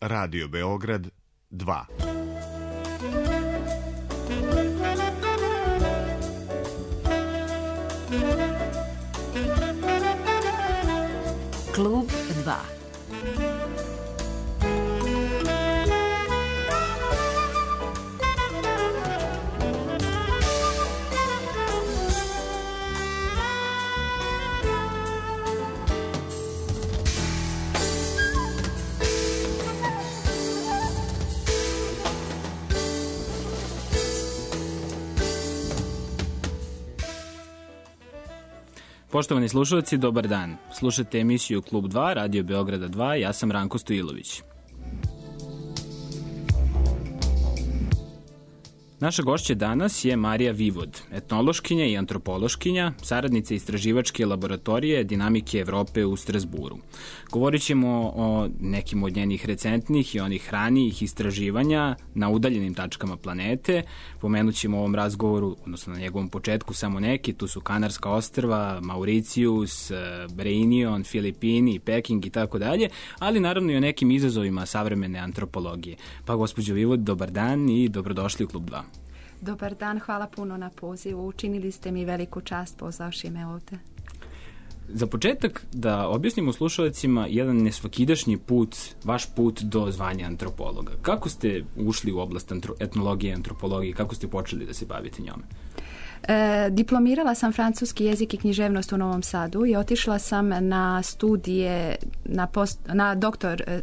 Radio Beograd 2. Klub 2. Poštovani slušalci, dobar dan. Slušate emisiju Klub 2, Radio Beograda 2, ja sam Ranko Stojilović. Naša gošća danas je Marija Vivod, etnološkinja i antropološkinja, saradnica istraživačke laboratorije Dinamike Evrope u Strazburu. Govorit ćemo o nekim od njenih recentnih i onih ranijih istraživanja na udaljenim tačkama planete. Pomenut ćemo u ovom razgovoru, odnosno na njegovom početku, samo neki. Tu su Kanarska ostrva, Mauricijus, Reunion, Filipini, Peking i tako dalje, ali naravno i o nekim izazovima savremene antropologije. Pa, gospođo Vivod, dobar dan i dobrodošli u Klub 2. Dobar dan, hvala puno na pozivu. Učinili ste mi veliku čast pozvavši me ovde. Za početak da objasnimo slušalicima jedan nesvakidašnji put, vaš put do zvanja antropologa. Kako ste ušli u oblast etnologije i antropologije? Kako ste počeli da se bavite njome? Diplomirala sam francuski jezik i književnost u Novom Sadu i otišla sam na studije, na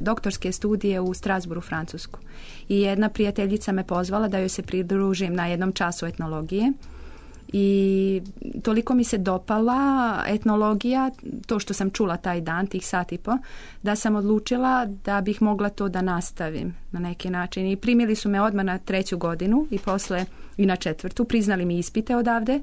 doktorske studije u Strasburu, Francusku. I jedna prijateljica me pozvala da joj se pridružim na jednom času etnologije. I toliko mi se dopala etnologija, to što sam čula taj dan, tih sat i po, da sam odlučila da bih mogla to da nastavim na neki način. I primili su me odmah na 3. godinu i posle i na 4. Priznali mi ispite odavde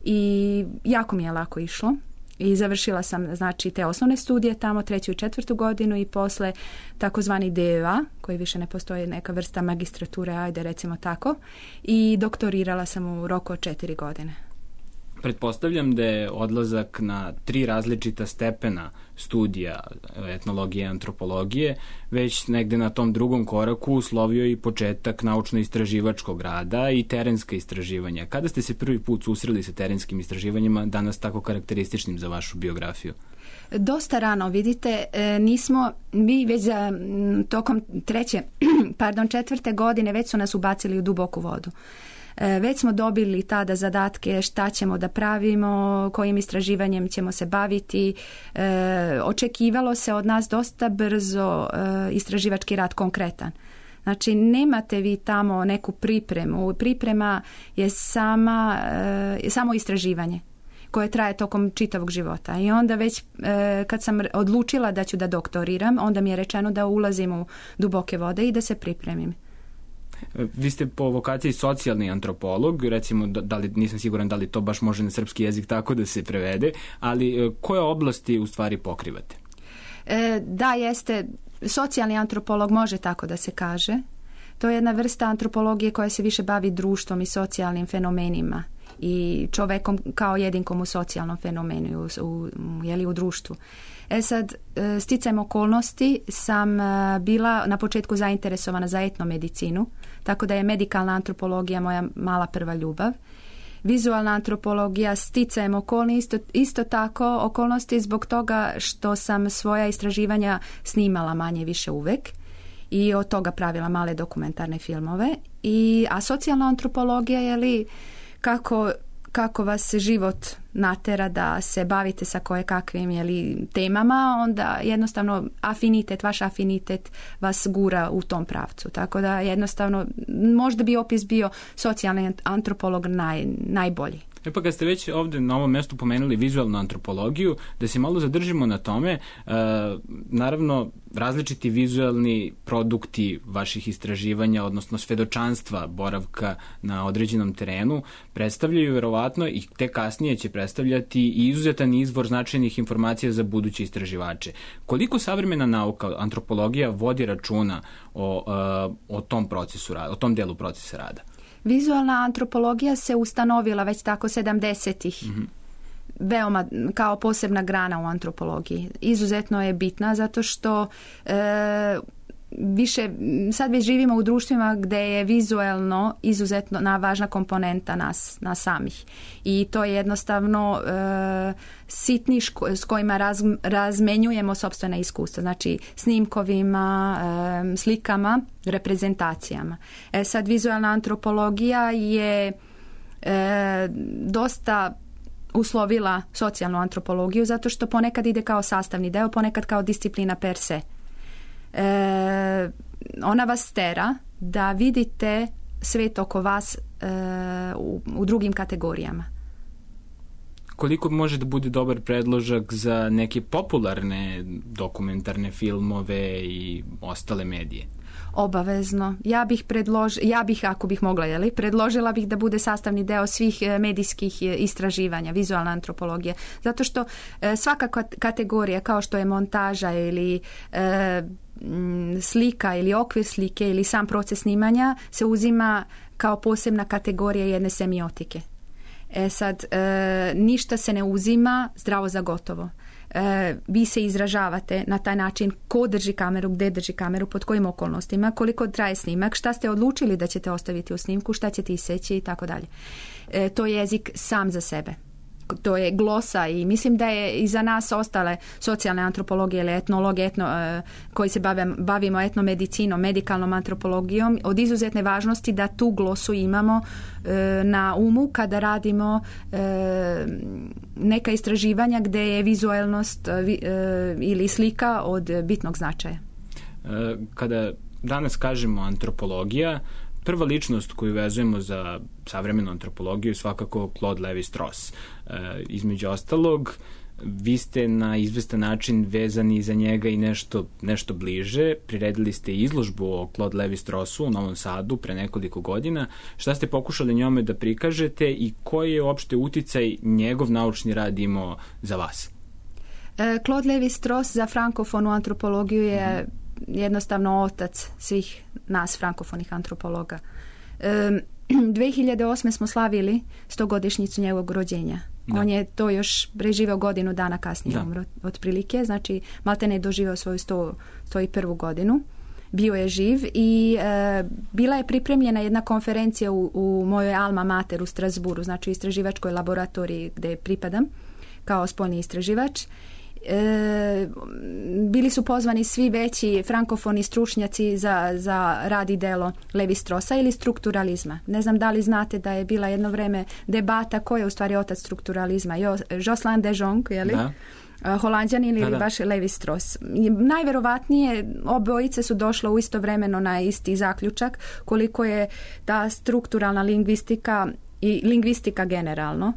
i jako mi je lako išlo. I završila sam, znači, te osnovne studije tamo, 3. i 4. godinu i posle takozvani DEA, koji više ne postoji, neka vrsta magistrature, ajde recimo tako, i doktorirala sam u roku od 4 godine. Pretpostavljam da je odlazak na 3 različita stepena studija etnologije i antropologije već negde na tom drugom koraku uslovio i početak naučno-istraživačkog rada i terenska istraživanja. Kada ste se prvi put susreli sa terenskim istraživanjima, danas tako karakterističnim za vašu biografiju? Dosta rano, vidite, mi već za tokom 4. godine već su nas ubacili u duboku vodu. Već smo dobili tada zadatke šta ćemo da pravimo, kojim istraživanjem ćemo se baviti. Očekivalo se od nas dosta brzo istraživački rad konkretan. Znači, nemate vi tamo neku pripremu. Priprema je samo istraživanje koje traje tokom čitavog života. I onda već kad sam odlučila da ću da doktoriram, onda mi je rečeno da ulazim u duboke vode i da se pripremim. Vi ste po vokaciji socijalni antropolog, recimo, nisam siguran da li to baš može na srpski jezik tako da se prevede, ali koje oblasti u stvari pokrivate? Da, jeste, socijalni antropolog može tako da se kaže. To je jedna vrsta antropologije koja se više bavi društvom i socijalnim fenomenima i čovekom kao jedinkom u socijalnom fenomenu, u društvu. Sad, sticajem okolnosti sam bila na početku zainteresovana za etnomedicinu, tako da je medikalna antropologija moja mala prva ljubav. Vizualna antropologija sticajem okolnosti, isto tako okolnosti zbog toga što sam svoja istraživanja snimala manje više uvek i od toga pravila male dokumentarne filmove. A socijalna antropologija je kako vas život natera da se bavite sa kakvim temama, onda jednostavno vaš afinitet vas gura u tom pravcu. Tako da jednostavno možda bi opis bio socijalni antropolog najbolji. Pa kad ste već ovde na ovom mestu pomenuli vizualnu antropologiju, da se malo zadržimo na tome, naravno različiti vizualni produkti vaših istraživanja, odnosno svedočanstva boravka na određenom terenu, predstavljaju verovatno i te kasnije će predstavljati izuzetan izvor značajnih informacija za buduće istraživače. Koliko savremena nauka, antropologija, vodi računa o tom procesu rada, o tom delu procesa rada? Vizualna antropologija se ustanovila već tako 70-ih. Veoma kao posebna grana u antropologiji. Izuzetno je bitna zato što više, sad već živimo u društvima gdje je vizualno izuzetno važna komponenta nas samih. I to je jednostavno sitni s kojima razmenjujemo sopstvena iskustva. Znači snimkovima, slikama, reprezentacijama. Sad vizualna antropologija je dosta uslovila socijalnu antropologiju zato što ponekad ide kao sastavni deo, ponekad kao disciplina per se. Ona vas tera da vidite svet oko vas u drugim kategorijama. Koliko može da bude dobar predložak za neke popularne dokumentarne filmove i ostale medije? Obavezno. Ja bih ako bih mogla, predložila bih da bude sastavni deo svih medijskih istraživanja, vizualna antropologija. Zato što svaka kategorija, kao što je montaža ili slika ili okvir slike ili sam proces snimanja, se uzima kao posebna kategorija jedne semiotike. Sad, ništa se ne uzima zdravo za gotovo. Vi se izražavate na taj način ko drži kameru, gdje drži kameru, pod kojim okolnostima, koliko traje snimak, šta ste odlučili da ćete ostaviti u snimku, šta ćete iseći i tako dalje. To je jezik sam za sebe. To je glosa i mislim da je i za nas ostale socijalne antropologije ili etnologije koji se bavimo etnomedicinom, medikalnom antropologijom od izuzetne važnosti da tu glosu imamo na umu kada radimo neka istraživanja gdje je vizualnost ili slika od bitnog značaja. Kada danas kažemo antropologija, prva ličnost koju vezujemo za savremenu antropologiju je svakako Claude Lévi-Strauss. Između ostalog, vi ste na izvestan način vezani za njega i nešto bliže. Priredili ste izložbu o Claude Lévi-Straussu u Novom Sadu pre nekoliko godina. Šta ste pokušali njome da prikažete i koji je uopšte uticaj njegov naučni rad imao za vas? Claude Lévi-Strauss za frankofonu antropologiju je jednostavno otac svih nas frankofonih antropologa. 2008. smo slavili 100-godišnjicu njegovog rođenja. Da. On je to još preživeo godinu dana kasnije umro, otprilike, znači maltene je doživeo svoju 101. godinu. Bio je živ i bila je pripremljena jedna konferencija u mojoj alma mater u Strasburu, znači u istraživačkoj laboratoriji gdje pripadam kao spoljni istraživač. Bili su pozvani svi veći frankofoni stručnjaci za rad i delo Lévi-Straussa ili strukturalizma. Ne znam da li znate da je bila jedno vreme debata ko je u stvari otac strukturalizma. Jocelyn de Jong, je li? Da. Holanđanin ili baš Lévi-Strauss. Najverovatnije obojice su došle u istovremeno na isti zaključak koliko je ta strukturalna lingvistika i lingvistika generalno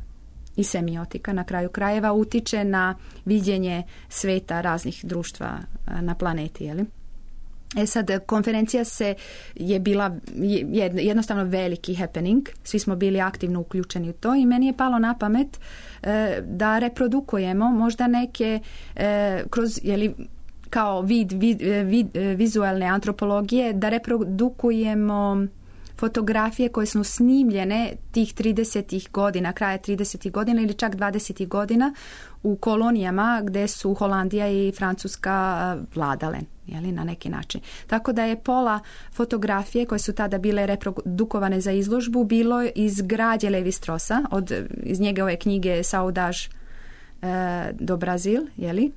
i semiotika na kraju krajeva utiče na viđenje sveta raznih društva na planeti, je li? Sad, konferencija je bila jednostavno veliki happening, svi smo bili aktivno uključeni u to i meni je palo na pamet da reprodukujemo možda neke kroz, je li, kao vid vizualne antropologije, da reprodukujemo fotografije koje su snimljene tih 30. godina, kraja 30. godina ili čak 20. godina u kolonijama gdje su Holandija i Francuska vladale, jeli, na neki način. Tako da je pola fotografije koje su tada bile reprodukovane za izložbu bilo iz građe Lévi-Straussa, iz njegove knjige Saudage do Brazil, jeli?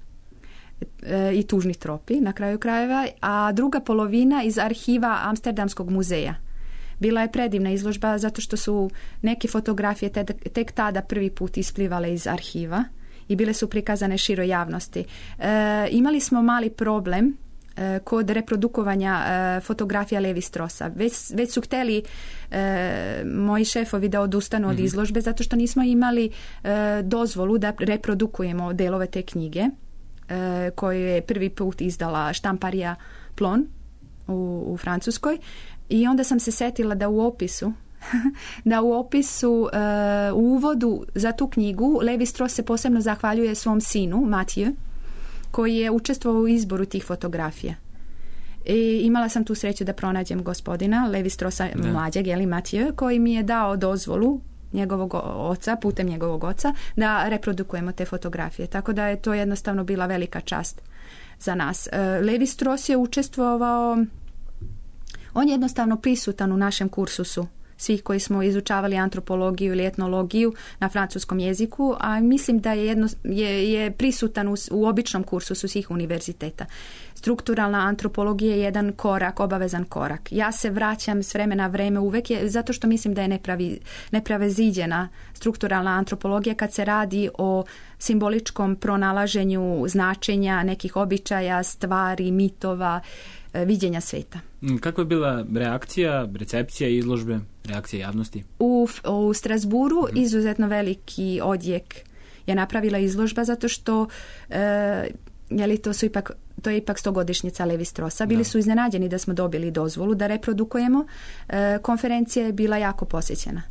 I tužni tropi na kraju krajeva, a druga polovina iz arhiva Amsterdamskog muzeja. Bila je predivna izložba zato što su neke fotografije tek tada prvi put isplivale iz arhiva i bile su prikazane široj javnosti. Imali smo mali problem kod reprodukovanja fotografija Lévi-Straussa. Već su hteli moji šefovi da odustanu od izložbe zato što nismo imali dozvolu da reprodukujemo delove te knjige koju je prvi put izdala štamparija Plon u Francuskoj. I onda sam se setila da u opisu u uvodu za tu knjigu Lévi-Strauss se posebno zahvaljuje svom sinu Mathieu, koji je učestvovao u izboru tih fotografija. I imala sam tu sreću da pronađem gospodina Lévi-Straussa mlađeg, jeli, Mathieu, koji mi je dao dozvolu putem njegovog oca, da reprodukujemo te fotografije. Tako da je to jednostavno bila velika čast za nas. Levi Strauss je učestvovao, on je jednostavno prisutan u našem kursusu, svih koji smo izučavali antropologiju ili etnologiju na francuskom jeziku, a mislim da je prisutan u običnom kursusu svih univerziteta. Strukturalna antropologija je jedan korak, obavezan korak. Ja se vraćam s vremena na vreme uvek zato što mislim da je neprevaziđena strukturalna antropologija kad se radi o simboličkom pronalaženju značenja nekih običaja, stvari, mitova, viđenja sveta. Kakva je bila reakcija, recepcija izložbe, reakcija javnosti? U Strasburu izuzetno veliki odjek je napravila izložba zato što to je ipak 100-godišnjica Levi Straussa. Bili su iznenađeni da smo dobili dozvolu da reprodukujemo. Konferencija je bila jako posjećena.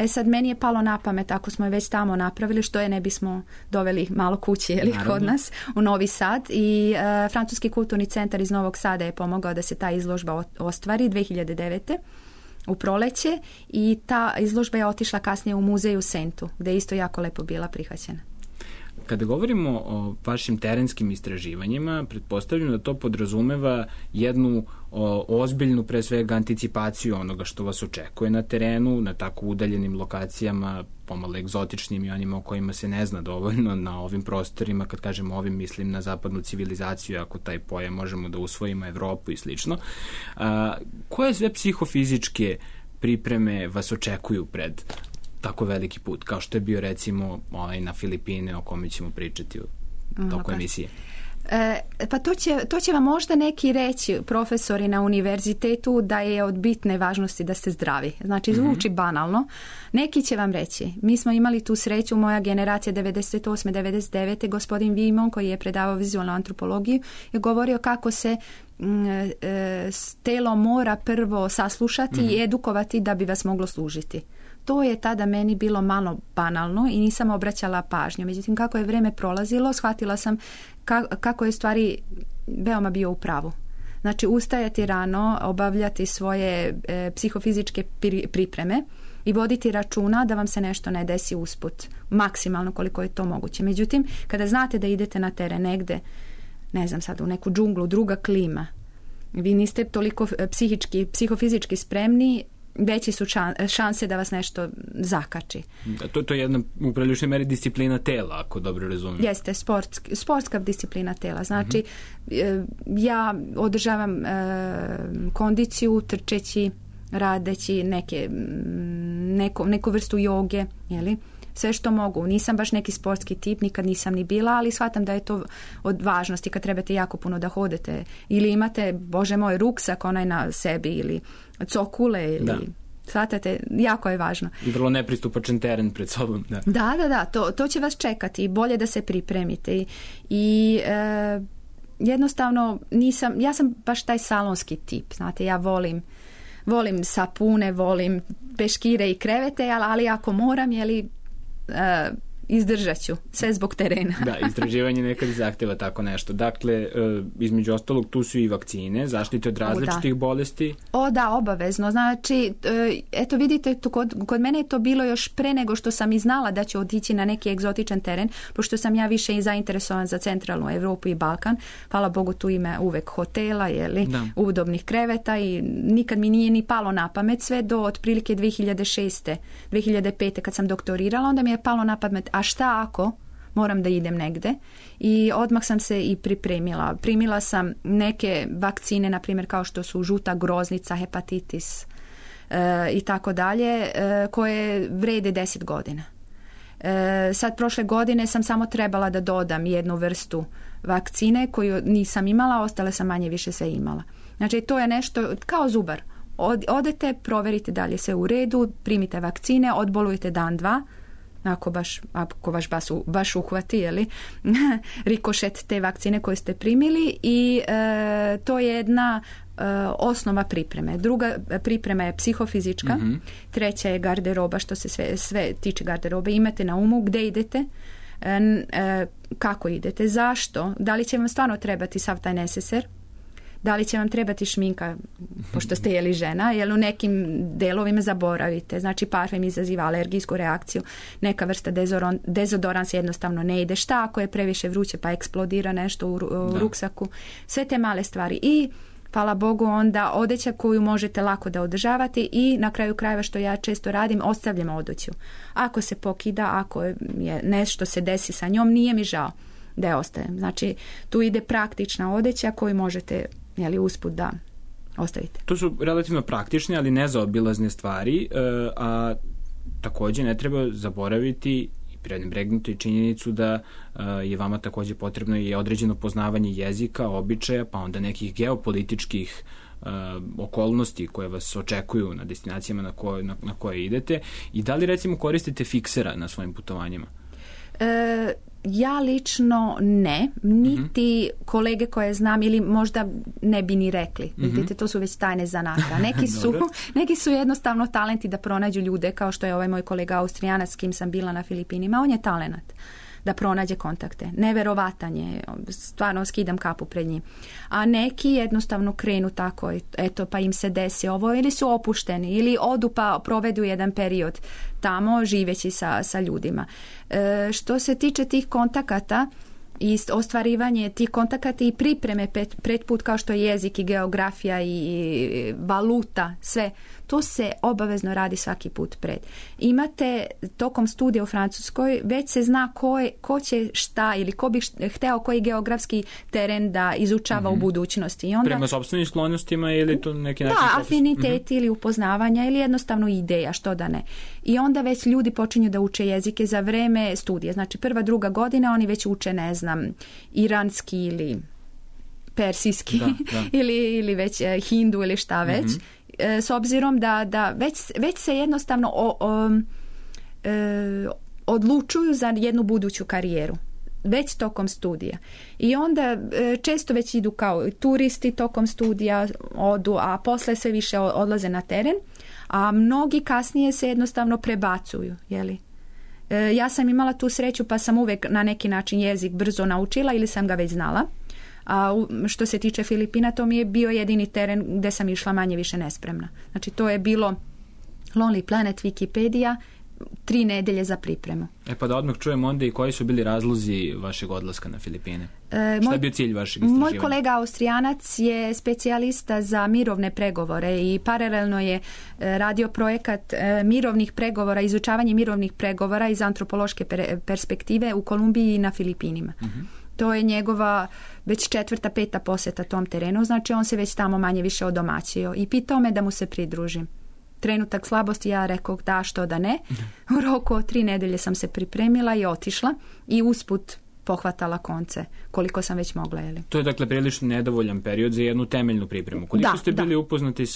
Sad meni je palo na pamet, ako smo je već tamo napravili, što je ne bismo doveli malo kući kod nas u Novi Sad, i Francuski kulturni centar iz Novog Sada je pomogao da se ta izložba ostvari 2009. u proleće, i ta izložba je otišla kasnije u muzej u Sentu, gde je isto jako lepo bila prihvaćena. Kada govorimo o vašim terenskim istraživanjima, pretpostavljam da to podrazumeva jednu ozbiljnu, pre svega, anticipaciju onoga što vas očekuje na terenu, na tako udaljenim lokacijama, pomalo egzotičnim i onima o kojima se ne zna dovoljno na ovim prostorima. Kad kažem ovim, mislim na zapadnu civilizaciju, ako taj pojam možemo da usvojimo, Evropu i slično. Koje sve psihofizičke pripreme vas očekuju pred tako veliki put, kao što je bio recimo na Filipine, o kome ćemo pričati u toku emisije? Pa to će vam možda neki reći profesori na univerzitetu, da je od bitne važnosti da ste zdravi. Znači, zvuči banalno. Neki će vam reći. Mi smo imali tu sreću, moja generacija 98. 99. gospodin Vimon, koji je predavao vizualnu antropologiju, je govorio kako se telo mora prvo saslušati i edukovati da bi vas moglo služiti. To je tada meni bilo malo banalno i nisam obraćala pažnju. Međutim, kako je vreme prolazilo, shvatila sam kako je stvari veoma bio u pravu. Znači, ustajati rano, obavljati svoje psihofizičke pripreme i voditi računa da vam se nešto ne desi usput, maksimalno koliko je to moguće. Međutim, kada znate da idete na teren negde, ne znam sad, u neku džunglu, druga klima, vi niste toliko psihofizički spremni, veći su šanse da vas nešto zakači. To je jedna u priličnoj meri disciplina tela, ako dobro razumijem. Jeste, sportska disciplina tela. Znači, ja održavam kondiciju trčeći, radeći neku vrstu joge, jeli? Sve što mogu. Nisam baš neki sportski tip, nikad nisam ni bila, ali shvatam da je to od važnosti kad trebate jako puno da hodete. Ili imate, bože moj, ruksak onaj na sebi, ili cokule, ili... Shvatate, jako je važno. I vrlo nepristupačan teren pred sobom. Da, to će vas čekati. Bolje da se pripremite. I jednostavno ja sam baš taj salonski tip. Znate, ja volim sapune, volim peškire i krevete, ali ako moram, izdržat ću, sve zbog terena. Da, istraživanje nekad zahteva tako nešto. Dakle, između ostalog, tu su i vakcine, zaštite od različitih bolesti. Da, obavezno. Znači, eto vidite, kod mene je to bilo još pre nego što sam i znala da ću otići na neki egzotičan teren, pošto sam ja više i zainteresovan za centralnu Evropu i Balkan. Hvala Bogu, tu ima uvek hotela, udobnih kreveta, i nikad mi nije ni palo na pamet, sve do otprilike 2006. 2005. kad sam doktorirala, onda mi je palo na pamet, a šta ako moram da idem negde, i odmah sam se i pripremila. Primila sam neke vakcine, na primjer kao što su žuta groznica, hepatitis i tako dalje, koje vrede 10 godina. Sad prošle godine sam samo trebala da dodam jednu vrstu vakcine koju nisam imala, ostale sam manje više sve imala. Znači, to je nešto kao zubar. Odete, proverite da li je sve u redu, primite vakcine, odbolujete dan, dva, ako vas baš uhvati, rikošet te vakcine koje ste primili, i to je jedna osnova pripreme. Druga priprema je psihofizička, treća je garderoba, što se sve tiče garderobe. Imate na umu gde idete, kako idete, zašto, da li će vam stvarno trebati sav taj neseser. Da li će vam trebati šminka, pošto ste jeli žena, jer u nekim delovima zaboravite. Znači, parfem izaziva alergijsku reakciju, neka vrsta dezodorans jednostavno ne ide. Šta ako je previše vruće pa eksplodira nešto u ruksaku? Sve te male stvari. I hvala Bogu onda odeća koju možete lako da održavate i na kraju krajeva što ja često radim, ostavljam odeću. Ako se pokida, ako je nešto se desi sa njom, nije mi žao da je ostavim. Znači, tu ide praktična odeća koju možete usput da ostavite. To su relativno praktične, ali nezaobilazne stvari, a također ne treba zaboraviti i prenebregnuti činjenicu da je vama također potrebno i određeno poznavanje jezika, običaja, pa onda nekih geopolitičkih okolnosti koje vas očekuju na destinacijama na koje idete. I da li recimo koristite fiksera na svojim putovanjima? Ja lično ne, niti kolege koje znam ili možda ne bi ni rekli. Vidite, to su već tajne zanata. Neki su jednostavno talenti da pronađu ljude, kao što je ovaj moj kolega Austrijanac s kim sam bila na Filipinima. On je talenat da pronađe kontakte. Neverovatan je, stvarno skidam kapu pred njim. A neki jednostavno krenu tako, eto, pa im se desi ovo, ili su opušteni, ili odu pa provedu jedan period tamo živeći sa ljudima. Što se tiče tih kontakata i ostvarivanje tih kontakata i pripreme pred put, kao što je jezik i geografija i valuta, sve, to se obavezno radi svaki put pred. Imate tokom studija u Francuskoj, već se zna ko će šta ili ko bi hteo koji geografski teren da izučava u budućnosti. I onda, prema sopstvenim sklonostima ili to neki način? Da, afiniteti ili upoznavanja ili jednostavno ideja, što da ne. I onda već ljudi počinju da uče jezike za vreme studija. Znači, prva, druga godina oni već uče, ne znam, iranski ili persijski ili već hindu ili šta već. S obzirom da već se jednostavno odlučuju za jednu buduću karijeru. Već tokom studija. I onda često već idu kao turisti tokom studija, odu, a posle sve više odlaze na teren, a mnogi kasnije se jednostavno prebacuju, jeli? Ja sam imala tu sreću pa sam uvek na neki način jezik brzo naučila ili sam ga već znala. A što se tiče Filipina, to mi je bio jedini teren gde sam išla manje više nespremna. Znači, to je bilo Lonely Planet, Wikipedia, 3 nedelje za pripremu. Pa da odmah čujem onda i koji su bili razlozi vašeg odlaska na Filipine? Šta je bio cilj vašeg istraživanja? Moj kolega Austrijanac je specijalista za mirovne pregovore i paralelno je radio projekat mirovnih pregovora, izučavanje mirovnih pregovora iz antropološke perspektive u Kolumbiji i na Filipinima. To je njegova već 4., 5. poseta tom terenu, znači on se već tamo manje više odomaćio i pitao me da mu se pridružim. Trenutak slabosti, ja rekao da, što da ne. U roku od 3 nedelje sam se pripremila i otišla i usput pohvatala konce koliko sam već mogla. Jeli. To je dakle prilično nedovoljan period za jednu temeljnu pripremu. Koliko ste bili upoznati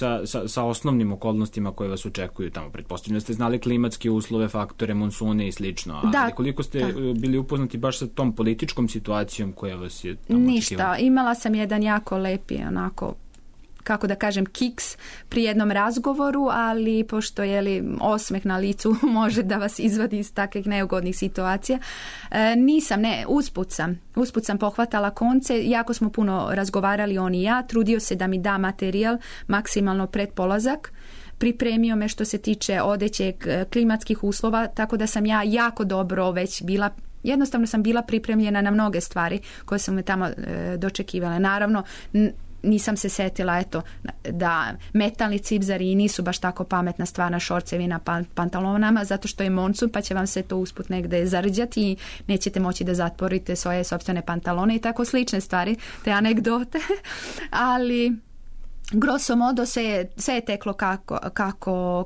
sa osnovnim okolnostima koje vas očekuju tamo? Pretpostavljam da ste znali klimatske uslove, faktore, monsune i slično. Ali koliko ste bili upoznati baš sa tom političkom situacijom koja vas je tamo očekivala? Ništa. Imala sam jedan jako lepi onako, kako da kažem, kiks pri jednom razgovoru, ali pošto osmeh na licu može da vas izvadi iz takvih neugodnih situacija, usput sam pohvatala konce, jako smo puno razgovarali on i ja, trudio se da mi da materijal maksimalno pred polazak, pripremio me što se tiče odeće, klimatskih uslova, tako da sam ja jako dobro već bila, jednostavno sam bila pripremljena na mnoge stvari koje su me tamo dočekivale. Naravno, nisam se setila da metalni cipzari nisu baš tako pametna stvar na šorcevi, na pantalonama, zato što je monsun, pa će vam se to usput negde zarđati i nećete moći da zatvorite svoje sopstvene pantalone i tako slične stvari, te anegdote. Ali grosso modo sve je teklo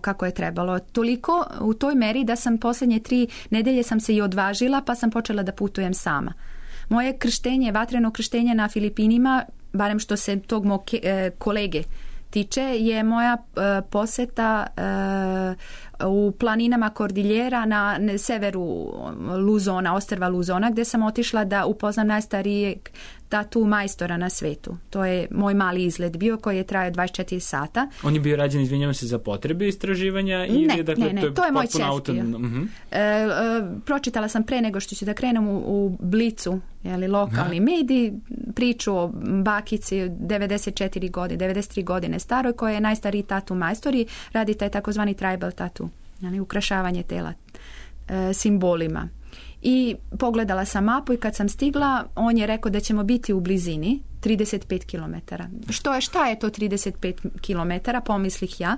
kako je trebalo. Toliko u toj meri da sam posljednje 3 nedelje sam se i odvažila, pa sam počela da putujem sama. Moje krštenje, vatreno krštenje na Filipinima, barem što se tog mog kolege tiče, je moja poseta u planinama Kordiljera na severu Luzona, ostrva Luzona, gde sam otišla da upoznam najstarijeg tatu majstora na svetu. To je moj mali izlet bio koji je trajao 24 sata. On je bio rađen, izvinjavam se, za potrebe istraživanja? Ne, to je moj čest bio. Pročitala sam pre nego što ću da krenem u Blicu, lokalni mediji, priču o bakici 93 godine staroj, koja je najstariji tatu majstor i radi taj takozvani tribal tatu, ukrašavanje tela simbolima. I pogledala sam mapu i kad sam stigla, on je rekao da ćemo biti u blizini 35 km. Šta je to 35 km, pomislih ja,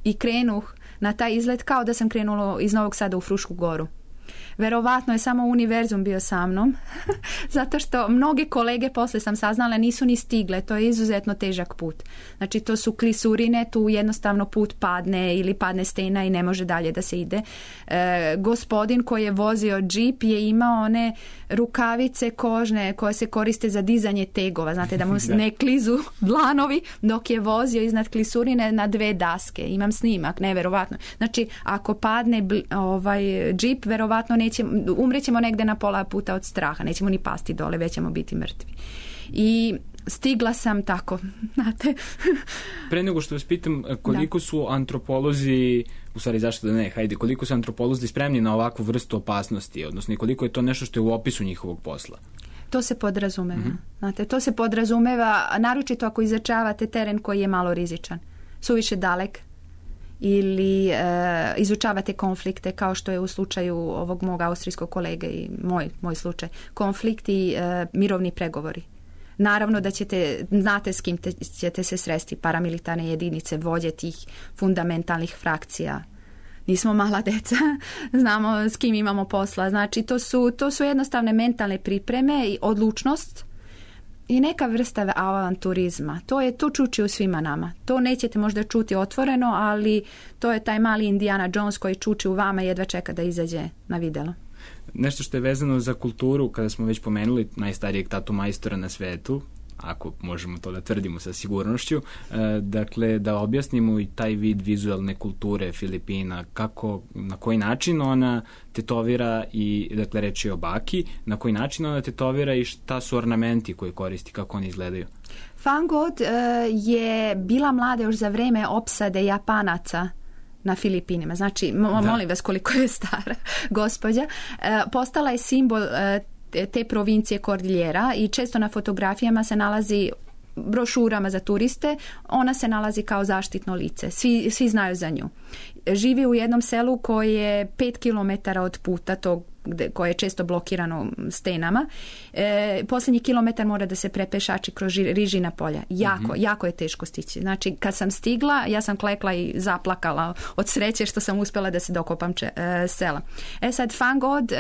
i krenuh na taj izlet kao da sam krenula iz Novog Sada u Frušku Goru. Verovatno je samo univerzum bio sa mnom, zato što mnoge kolege, posle sam saznala, nisu ni stigle. To je izuzetno težak put. Znači, to su klisurine, tu jednostavno put padne ili padne stena i ne može dalje da se ide. Gospodin koji je vozio džip je imao one rukavice kožne koje se koriste za dizanje tegova. Znate, da mu ne klizu dlanovi dok je vozio iznad klisurine na 2 daske. Imam snimak, neverovatno. Znači, ako padne džip, verovatno umrećemo negde na pola puta od straha, nećemo ni pasti dole, već ćemo biti mrtvi. I stigla sam tako, znate. Pre nego što vas pitam, koliko su antropolozi, u stvari zašto da ne, koliko su antropolozi spremni na ovakvu vrstu opasnosti, odnosno koliko je to nešto što je u opisu njihovog posla? To se podrazumeva. Znate, to se podrazumeva, naročito ako izučavate teren koji je malo rizičan, suviše dalek, ili izučavate konflikte kao što je u slučaju ovog mog austrijskog kolege i moj slučaj, konflikt i mirovni pregovori. Naravno da znate s kim ćete se sresti, paramilitarne jedinice, vođe tih fundamentalnih frakcija. Nismo mala deca, znamo s kim imamo posla. Znači, to su jednostavne mentalne pripreme i odlučnost i neka vrsta avanturizma. To čuči u svima nama. To nećete možda čuti otvoreno, ali to je taj mali Indiana Jones koji čuči u vama i jedva čeka da izađe na videlo. Nešto što je vezano za kulturu, kada smo već pomenuli najstarijeg tatu majstora na svetu, ako možemo to da tvrdimo sa sigurnošću, dakle da objasnimo i taj vid vizualne kulture Filipina, na koji način ona tetovira i, dakle, reći o baki, na koji način ona tetovira i šta su ornamenti koje koristi, kako oni izgledaju. Van Gogh je bila mlada još za vreme opsade Japanaca na Filipinima. Znači, molim vas koliko je stara gospođa. Postala je simbol te provincije Kordiljera i često na fotografijama se nalazi, brošurama za turiste, ona se nalazi kao zaštitno lice. Svi znaju za nju. Živi u jednom selu koje je 5 km od puta tog koje je često blokirano stenama. Posljednji kilometar mora da se prepešači kroz rižina polja. Jako je teško stići. Znači, kad sam stigla, ja sam klekla i zaplakala od sreće što sam uspjela da se dokopam sela. Sad, Van Gogh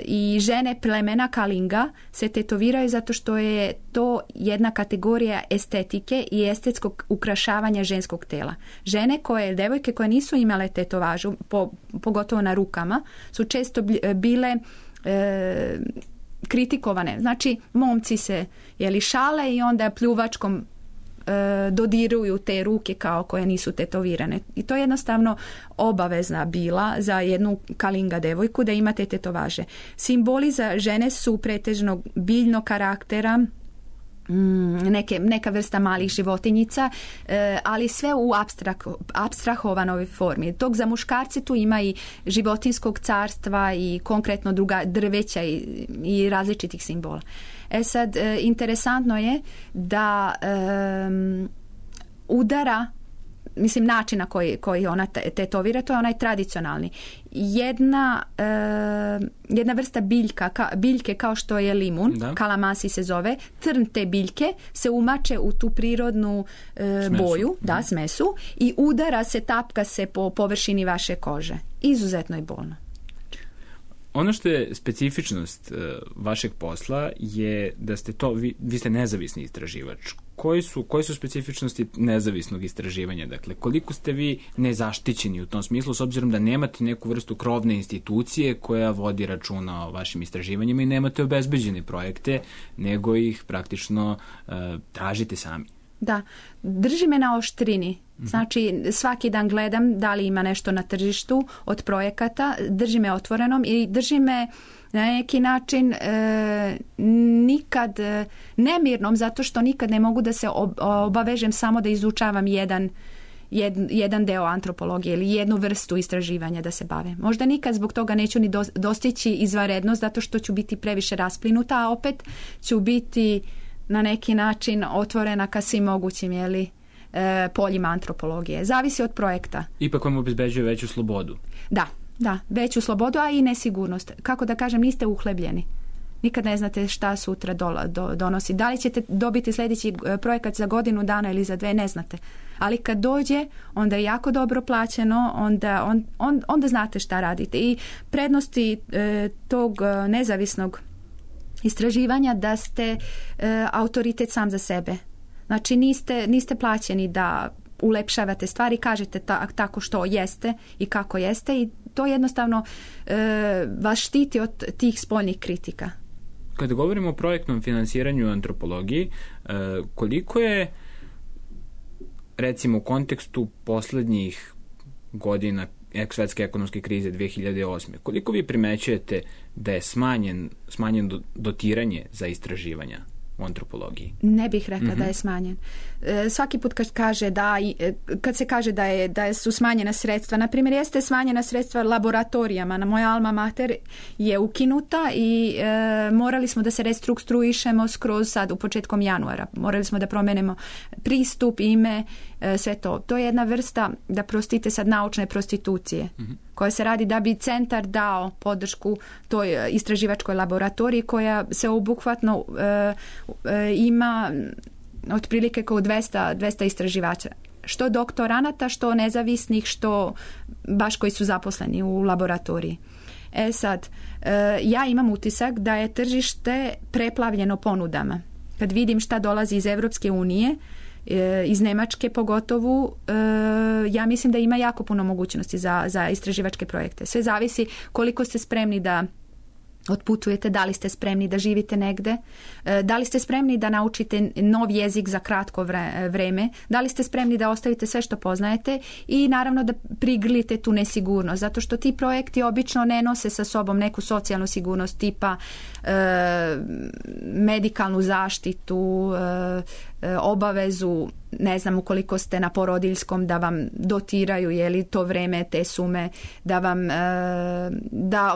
i žene plemena Kalinga se tetoviraju zato što je to jedna kategorija estetike i estetskog ukrašavanja ženskog tela. Devojke koje nisu imale tetovažu, pogotovo na rukama, su često bile kritikovane. Znači, momci se šale i onda pljuvačkom dodiruju te ruke kao koje nisu tetovirane. I to je jednostavno obavezna bila za jednu Kalinga devojku da imate tetovaže. Simboli za žene su pretežno biljnog karaktera, neka vrsta malih životinjica, ali sve u apstrahovanoj formi. Dok za muškarce tu ima i životinskog carstva i konkretno druga drveća i različitih simbola. Sad, interesantno je da udara, mislim, način na koji ona tetovira, to je onaj tradicionalni. Jedna vrsta biljke kao što je limun, kalamasi se zove, trn te biljke se umače u tu prirodnu boju, smesu, i udara se, tapka se po površini vaše kože. Izuzetno je bolno. Ono što je specifičnost vašeg posla je da ste vi ste nezavisni istraživač. Koje su specifičnosti nezavisnog istraživanja? Dakle, koliko ste vi nezaštićeni u tom smislu, s obzirom da nemate neku vrstu krovne institucije koja vodi računa o vašim istraživanjima i nemate obezbeđene projekte, nego ih praktično tražite sami? Da, drži me na oštrini Znači, svaki dan gledam da li ima nešto na tržištu od projekata, drži me otvorenom i drži me na neki način nikad nemirnom, zato što nikad ne mogu da se obavežem samo da izučavam jedan deo antropologije ili jednu vrstu istraživanja da se bave. Možda nikad zbog toga neću ni dostići izvanrednost, zato što ću biti previše rasplinuta, a opet ću biti na neki način otvorena ka svim mogućim poljima antropologije. Zavisi od projekta. Ipak vam obezbeđuje veću slobodu. Da, veću slobodu, a i nesigurnost. Kako da kažem, niste uhlebljeni. Nikad ne znate šta sutra donosi. Da li ćete dobiti sljedeći projekat za godinu dana ili za 2, ne znate. Ali kad dođe, onda je jako dobro plaćeno, onda znate šta radite. I prednosti tog nezavisnog istraživanja da ste autoritet sam za sebe. Znači niste plaćeni da ulepšavate stvari, kažete tako što jeste i kako jeste i to jednostavno vas štiti od tih spoljnih kritika. Kada govorimo o projektnom finansiranju u antropologiji, koliko je recimo u kontekstu poslednjih godina svetske ekonomske krize 2008. Koliko vi primećujete da je smanjen dotiranje za istraživanja u antropologiji? Ne bih rekla da je smanjen. Svaki put kad se kaže da su smanjena sredstva, na primjer jeste smanjena sredstva laboratorijama, na moja alma mater je ukinuta i morali smo da se restruktuišemo skroz sad u početkom januara. Morali smo da promenimo pristup, ime, sve to. To je jedna vrsta, da prostite sad, naučne prostitucije koja se radi da bi centar dao podršku toj istraživačkoj laboratoriji koja se obuhvatno ima otprilike kao 200 istraživača. Što doktoranata, što nezavisnih, što baš koji su zaposleni u laboratoriji. Sad, ja imam utisak da je tržište preplavljeno ponudama. Kad vidim šta dolazi iz Evropske unije, iz Nemačke pogotovo, ja mislim da ima jako puno mogućnosti za istraživačke projekte. Sve zavisi koliko ste spremni da otputujete, da li ste spremni da živite negde, da li ste spremni da naučite nov jezik za kratko vreme, da li ste spremni da ostavite sve što poznajete i naravno da prigrlite tu nesigurnost, zato što ti projekti obično ne nose sa sobom neku socijalnu sigurnost tipa medikalnu zaštitu, obavezu, ne znam, ukoliko ste na porodiljskom, da vam dotiraju to vreme, te sume, da vam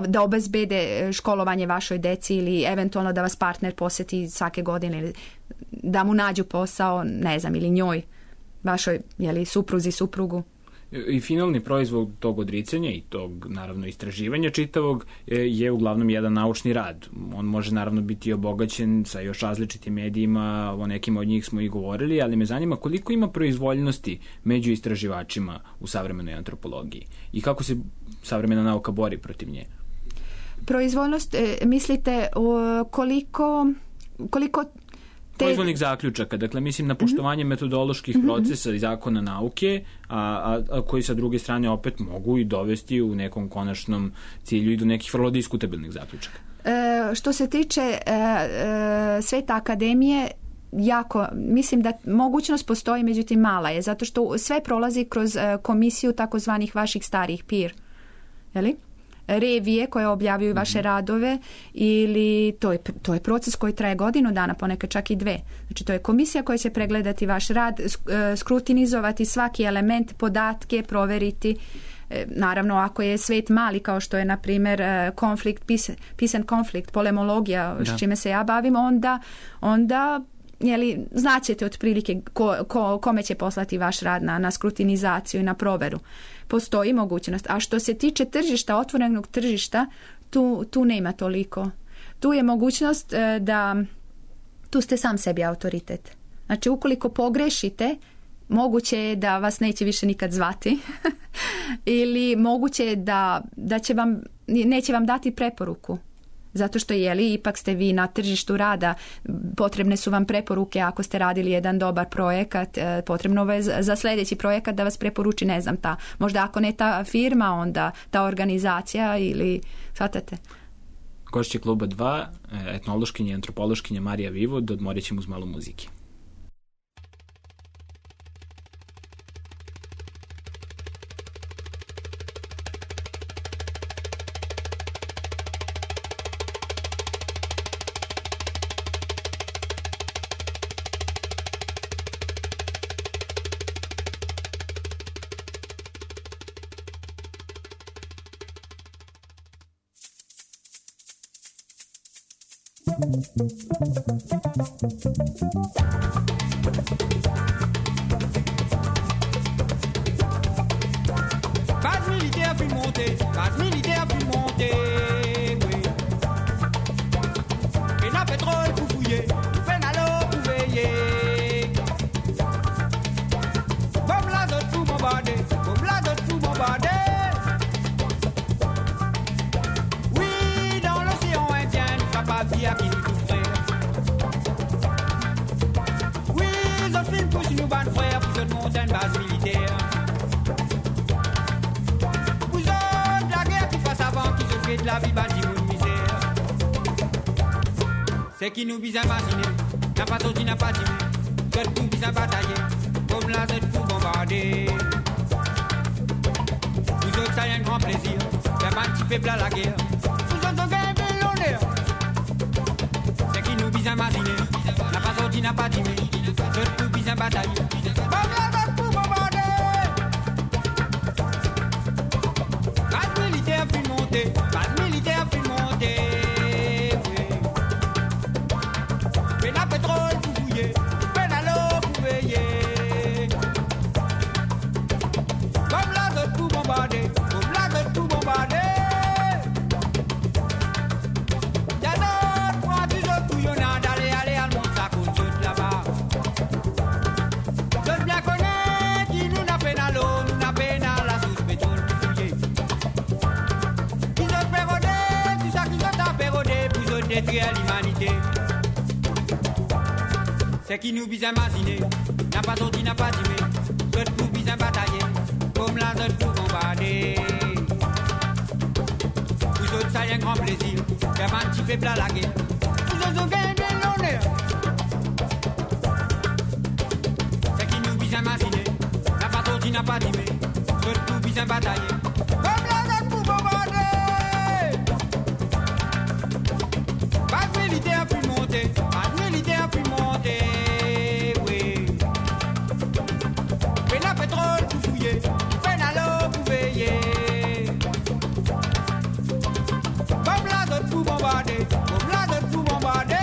da obezbede školovanje vašoj deci ili eventualno da vas partner posjeti svake godine ili da mu nađu posao, ne znam, ili njoj, vašoj supruzi, suprugu. I finalni proizvod tog odricanja i tog, naravno, istraživanja čitavog je uglavnom jedan naučni rad. On može, naravno, biti obogaćen sa još različitim medijima, o nekim od njih smo i govorili, ali me zanima koliko ima proizvoljnosti među istraživačima u savremenoj antropologiji i kako se savremena nauka bori protiv nje. Proizvoljnost, mislite koliko proizvoljnih zaključaka, dakle mislim na poštovanje metodoloških procesa i zakona nauke, a koji sa druge strane opet mogu i dovesti u nekom konačnom cilju i do nekih vrlo diskutabilnih zaključaka. Što se tiče Sveta akademije, mislim da mogućnost postoji, međutim mala je, zato što sve prolazi kroz komisiju takozvanih vaših starih peer, revije koje objavljuju vaše radove, ili to je proces koji traje godinu dana, ponekad čak i 2. Znači to je komisija koja će pregledati vaš rad, skrutinizovati svaki element, podatke, proveriti. Naravno, ako je svet mali, kao što je na primjer konflikt, peace and conflict, polemologija, s čime se ja bavim, onda znaćete otprilike kome će poslati vaš rad na skrutinizaciju i na proveru. Postoji mogućnost. A što se tiče tržišta, otvorenog tržišta, tu nema toliko. Tu je mogućnost da tu ste sam sebi autoritet. Znači, ukoliko pogrešite, moguće je da vas neće više nikad zvati ili moguće je da neće vam dati preporuku. Zato što ipak ste vi na tržištu rada, potrebne su vam preporuke ako ste radili jedan dobar projekat, potrebno je za sljedeći projekat da vas preporuči, ne znam, možda ako ne ta firma, onda ta organizacija ili, shvatate? Gošće Kluba 2, etnološkinja i antropološkinja Marija Vivod, odmorit ćemo uz malo muzike. Base militaire puis montée, base militaire puis montée, oui. Peine à pétrole pour fouiller, peine à l'eau pour veiller. Bombe l'azote pour bombarder, bombe l'azote pour bombarder. Oui, dans l'océan Indien, nous frappe à vie à qui nous souffrir. Oui, les autres films poussent nous ban frères pour cette montagne base militaire. De la vie bâtie pour misère. C'est qui nous bise à imaginer, n'a pas sorti, n'a pas timé. Seul pour bise à batailler, comme la zette pour bombarder. Vous autres, ça y a un grand plaisir, faire un petit peuple à la guerre. Vous autres, on gagne bien l'honneur. C'est qui nous bise à imaginer, n'a pas sorti, n'a pas timé. Seul pour bise à batailler, comme la zette pour bombarder. Base militaire puis montée. Base militaire puis montée, oui. Peine à pétrole pour fouiller, peine à l'eau pour veiller. Comme l'azote pour bombarder, comme l'azote pour bombarder. Y'a d'autres points plus autres couillonnants d'aller, à le monde, ça coûte tout là-bas. Je bien connais qui nous n'a peine à l'eau, nous n'a peine à la source pétrole pour fouiller. Détruire l'humanité. C'est qui nous bise à imaginer, n'a pas sorti, n'a pas timé. Seul pour bise à batailler, comme la zone pour bombarder. Vous autres, ça y a un grand plaisir, faire un petit peuple à la guerre. Vous autres, vous gagnez bien l'honneur. C'est qui nous bise à imaginer, n'a pas sorti, n'a pas timé. Seul pour bise à batailler, comme la zone pour bombarder. Base militaire puis montée, base militaire puis montée, oui. Peine à pétrole pour fouiller, peine à l'eau pour veiller. Comme l'azote pour bombarder, comme l'azote pour bombarder.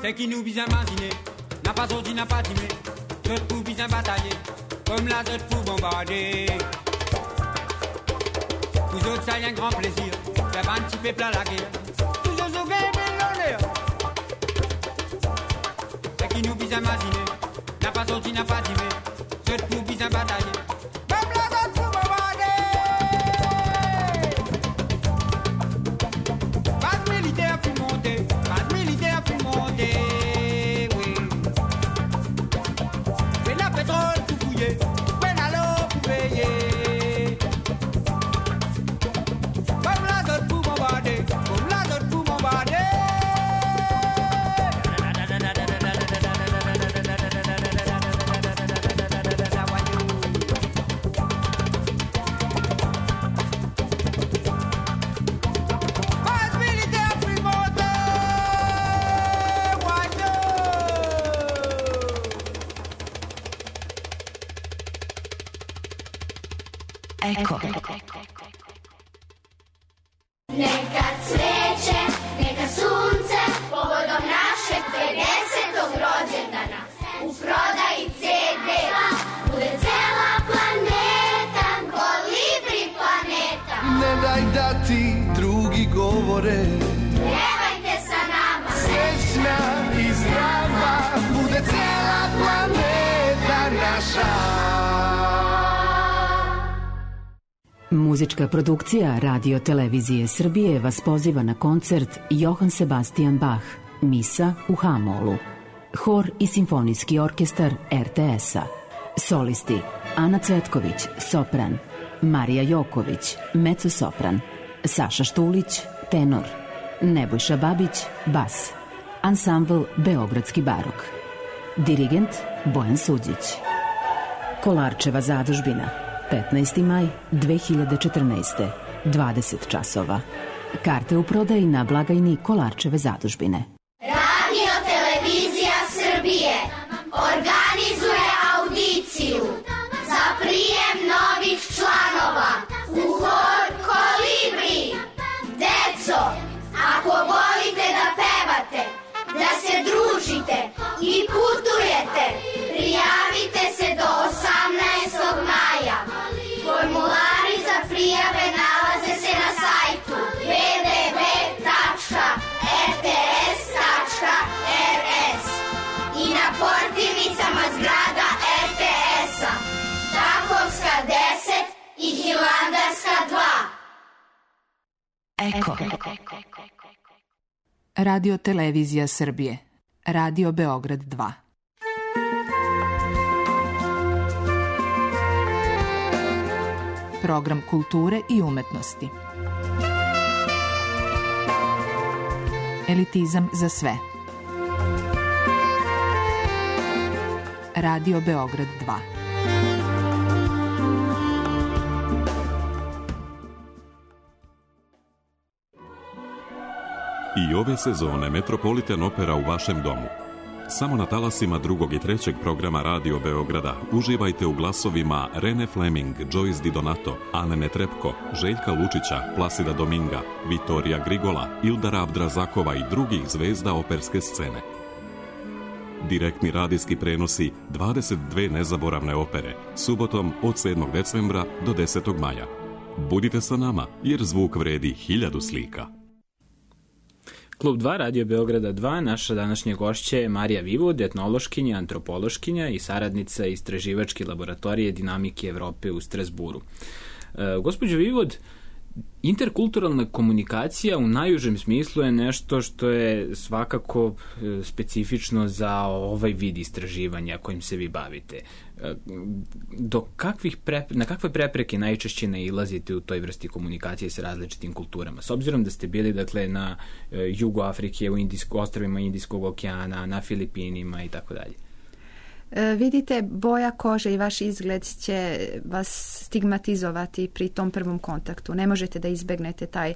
C'est qui nous bise à imaginer, n'a pas sorti, n'a pas timé. Seul pour bise à batailler, comme la zette pour bombarder. Vous autres, ça y a un grand plaisir, faire un petit peuple à la guerre. Vous autres, vous gagnez bien l'honneur. C'est qui nous bise à imaginer, n'a pas sorti, n'a pas timé. Seul pour bise à batailler, comme la zette pour bombarder. Base militaire puis montée, base militaire puis montée. Pétrole pour fouiller, peine à l'eau pour veiller. Comme l'azote pour bombarder, comme l'azote pour bombarder. Base militaire puis montée, Eko. Neka cveće, neka sunce, povodom našeg 50. rođendana. U prodaji CD-a bude cela planeta, Kolibri planeta. Ne daj da ti drugi govore, Pjevajte sa nama, srećna i zdrava, bude cela planeta naša. Muzička produkcija Radio Televizije Srbije vas poziva na koncert Johann Sebastian Bach, Misa u H-molu. Hor i simfonijski orkestar RTS-a. Solisti: Ana Cvetković, sopran; Marija Joković, mecosopran; Saša Štulić, tenor; Nebojša Babić, bas; Ansambl Beogradski barok. Dirigent Bojan Suđić. Kolarčeva zadužbina, 15. maj 2014. 20 časova. Karte u prodaji na blagajni Kolarčeve zadužbine. Radio Televizija Srbije organizuje audiciju za prijem novih članova u hor Kolibri. Deco, ako volite da pevate, da se družite i putujete, prijavite se do 18. maja. Formulari za prijave nalaze se na sajtu www.rts.rs i na portirnicama zgrada RTS-a, Takovska 10 i Hilandarska 2. Eko. Radio Televizija Srbije. Radio Beograd 2. Program kulture i umetnosti. Elitizam za sve. Radio Beograd 2. I ove sezone Metropolitan Opera u vašem domu. Samo na talasima drugog i trećeg programa Radio Beograda uživajte u glasovima Rene Fleming, Joyce Di Donato, Ane Netrebko, Željka Lučića, Plasida Dominga, Vitorija Grigola, Ildara Abdrazakova i drugih zvezda operske scene. Direktni radijski prenosi 22 nezaboravne opere, subotom od 7. decembra do 10. maja. Budite sa nama, jer zvuk vredi 1000 slika. Klub 2, Radio Beograda 2, naša današnja gošća je Marija Vivod, etnološkinja, antropološkinja i saradnica istraživačke laboratorije dinamike Evrope u Strasburu. Gospođo Vivod, interkulturalna komunikacija u najužem smislu je nešto što je svakako specifično za ovaj vid istraživanja kojim se vi bavite. Na kakve prepreke najčešće nailazite u toj vrsti komunikacije sa različitim kulturama? S obzirom da ste bili na jugu Afrike, u ostrvima Indijskog okeana, na Filipinima i tako dalje. Vidite, boja kože i vaš izgled će vas stigmatizovati pri tom prvom kontaktu. Ne možete da izbegnete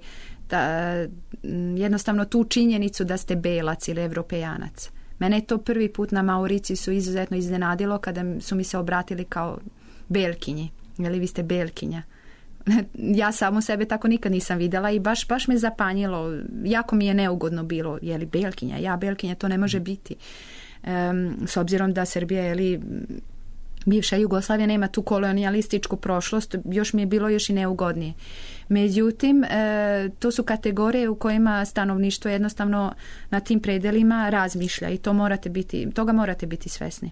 jednostavno tu činjenicu da ste belac ili evropejanac. Mene je to prvi put na Mauricijusu izuzetno iznenadilo kada su mi se obratili kao belkinji. Jeli vi ste belkinja? Ja samu sebe tako nikad nisam vidjela i baš me zapanjilo. Jako mi je neugodno bilo. Jeli belkinja? Ja belkinja, to ne može biti. S obzirom da Srbija ili bivša Jugoslavija nema tu kolonijalističku prošlost, još mi je bilo još i neugodnije. Međutim, to su kategorije u kojima stanovništvo jednostavno na tim predelima razmišlja i toga morate biti svesni.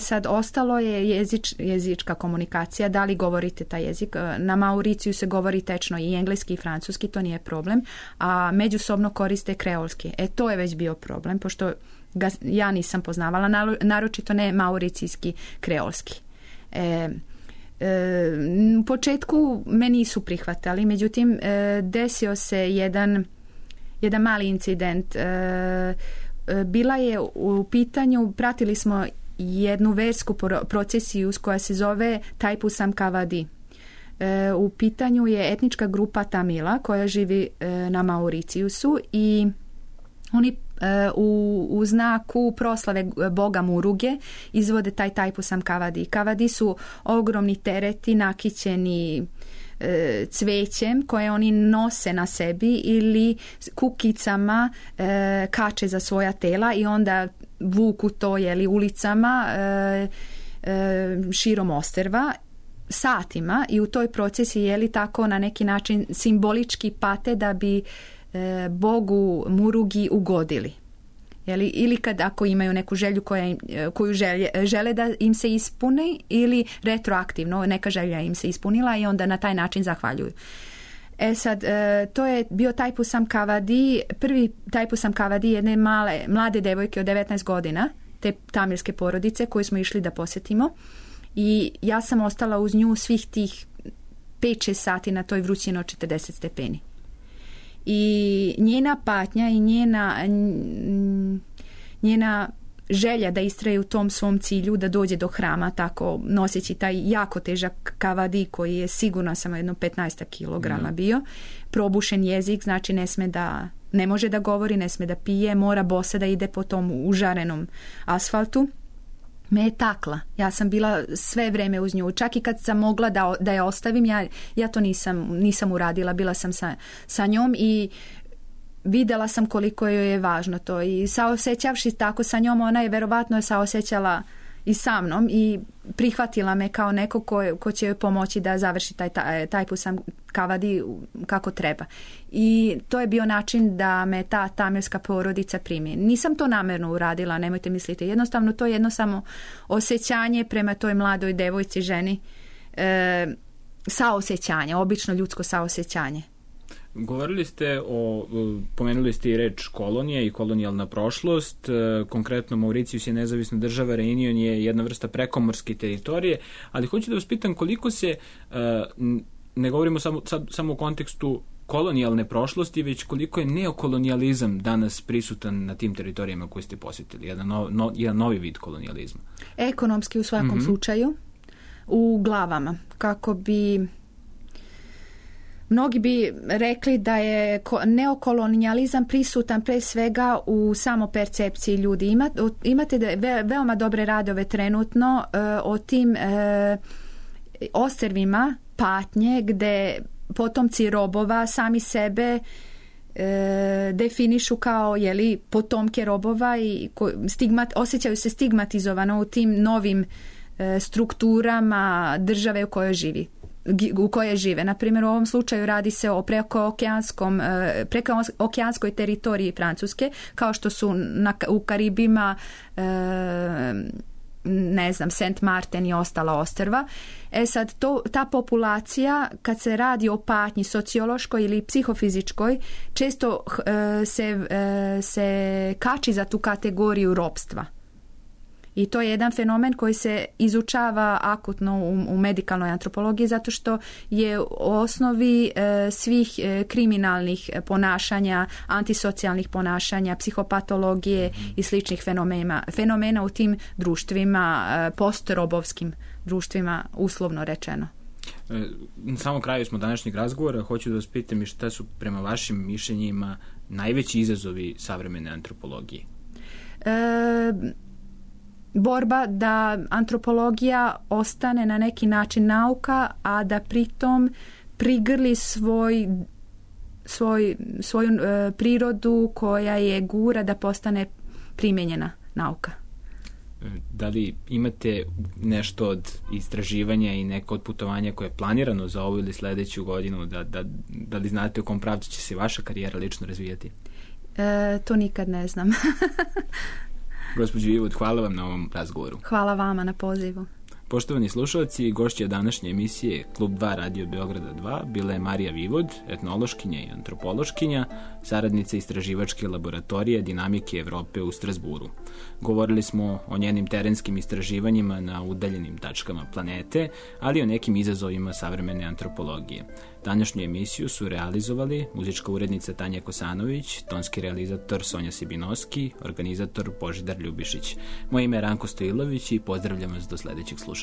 Sad, ostalo je jezička komunikacija, da li govorite taj jezik. Na Mauriciju se govori tečno i engleski i francuski, to nije problem, a međusobno koriste kreolski. To je već bio problem, pošto ga ja nisam poznavala, naročito ne mauricijski kreolski. U početku me nisu prihvatali, međutim desio se jedan mali incident. Bila je u pitanju, pratili smo jednu versku procesiju koja se zove Taipusam Kavadi. U pitanju je etnička grupa Tamila koja živi na Mauricijusu i oni u znaku proslave boga Muruge izvode taj Taipusam Kavadi. Kavadi su ogromni tereti nakićeni cvećem koje oni nose na sebi ili kukicama kače za svoja tela i onda vuku to ulicama širom ostrva satima i u toj procesi tako na neki način simbolički pate da bi bogu Murugi ugodili. Ili ako imaju neku želju koju žele da im se ispuni ili retroaktivno neka želja im se ispunila i onda na taj način zahvaljuju. Sad, to je bio Taipusam Kavadi, prvi Taipusam Kavadi jedne mlade devojke od 19 godina, te tamilske porodice koju smo išli da posjetimo. i ja sam ostala uz nju svih tih 5-6 sati na toj vrućini od 40 stepeni. I njena patnja i njena želja da istraje u tom svom cilju, da dođe do hrama tako noseći taj jako težak kavadi koji je sigurno samo jedno 15 kilograma bio, probušen jezik, znači ne može da govori, ne sme da pije, mora bosa da ide po tom užarenom asfaltu, me je takla. Ja sam bila sve vreme uz nju. Čak i kad sam mogla da je ostavim, ja to nisam uradila. Bila sam sa njom i videla sam koliko joj je važno to. I saosećavši tako sa njom, ona je verovatno saosećala i sa mnom i prihvatila me kao neko ko će joj pomoći da završi taj pusam kavadi kako treba. I to je bio način da me ta tamilska porodica primi. Nisam to namjerno uradila, nemojte misliti. Jednostavno to je jedno samo osjećanje prema toj mladoj devojci, ženi. Saosećanje, obično ljudsko saosećanje. Govorili ste pomenuli ste i reč kolonija i kolonijalna prošlost. Konkretno Mauricijus je nezavisna država, Reunion je jedna vrsta prekomorske teritorije, ali hoću da vas pitam koliko se, ne govorimo samo u kontekstu kolonijalne prošlosti, već koliko je neokolonijalizam danas prisutan na tim teritorijama koje ste posjetili, jedan novi vid kolonijalizma. Ekonomski u svakom slučaju, u glavama, kako bi mnogi bi rekli da je neokolonijalizam prisutan pre svega u samopercepciji ljudi. Imate veoma dobre radove trenutno o tim ostrvima patnje gde potomci robova sami sebe definišu kao potomke robova i osjećaju se stigmatizovano u tim novim strukturama države u kojoj žive. Na primjer, u ovom slučaju radi se o prekookeanskoj teritoriji Francuske, kao što su u Karibima Saint Martin i ostala ostrva. Sad, ta populacija, kad se radi o patnji sociološkoj ili psihofizičkoj, često se kači za tu kategoriju ropstva. I to je jedan fenomen koji se izučava akutno u medikalnoj antropologiji, zato što je u osnovi svih kriminalnih ponašanja, antisocijalnih ponašanja, psihopatologije i sličnih fenomena u tim društvima, postrobovskim društvima, uslovno rečeno. Na samom kraju smo današnjeg razgovora. Hoću da vas pitam i šta su prema vašim mišljenjima najveći izazovi savremene antropologije? Borba da antropologija ostane na neki način nauka, a da pritom prigrli svoju prirodu koja je gura da postane primijenjena nauka. Da li imate nešto od istraživanja i neko od putovanja koje je planirano za ovu ili sljedeću godinu? Da li znate u kom pravcu će se vaša karijera lično razvijati? To nikad ne znam. Gospođo Vivod, hvala vam na ovom razgovoru. Hvala vama na pozivu. Poštovani slušalci, gošća današnje emisije Klub 2 Radio Beograda 2 bila je Marija Vivod, etnološkinja i antropološkinja, saradnica istraživačke laboratorije Dinamike Evrope u Strasburu. Govorili smo o njenim terenskim istraživanjima na udaljenim tačkama planete, ali i o nekim izazovima savremene antropologije. Današnju emisiju su realizovali muzička urednica Tanja Kosanović, tonski realizator Sonja Sibinoski, organizator Božidar Ljubišić. Moje ime je Ranko Stojilović i pozdravljam vas do sljedećeg slušanja.